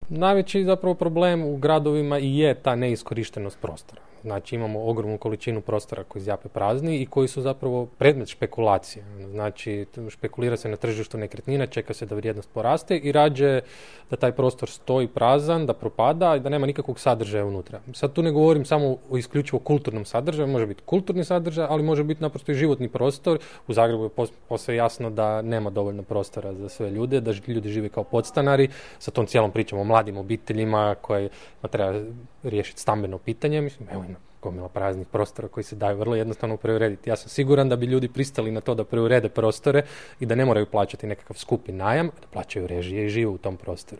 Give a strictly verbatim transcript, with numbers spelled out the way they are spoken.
najveći zapravo problem u gradovima i je ta neiskorištenost prostora. Znači imamo ogromnu količinu prostora koji zjape prazni i koji su zapravo predmet špekulacije. Znači špekulira se na tržištu nekretnina, čeka se da vrijednost poraste i rađe da taj prostor stoji prazan, da propada i da nema nikakvog sadržaja unutra. Sad tu ne govorim samo o isključivo kulturnom sadržaju, može biti kulturni sadržaj, ali može biti naprosto i životni prostor. U Zagrebu je posve jasno da nema dovoljno prostora za sve ljude, da ljudi žive kao podstanari, sa tom cijelom pričom o mladim obiteljima koje treba riješiti stambeno pitanje. Mislim, evo ima gomila praznih prostora koji se daju vrlo jednostavno preurediti. Ja sam siguran da bi ljudi pristali na to da preurede prostore i da ne moraju plaćati nekakav skupi najam, da plaćaju režije i žive u tom prostoru.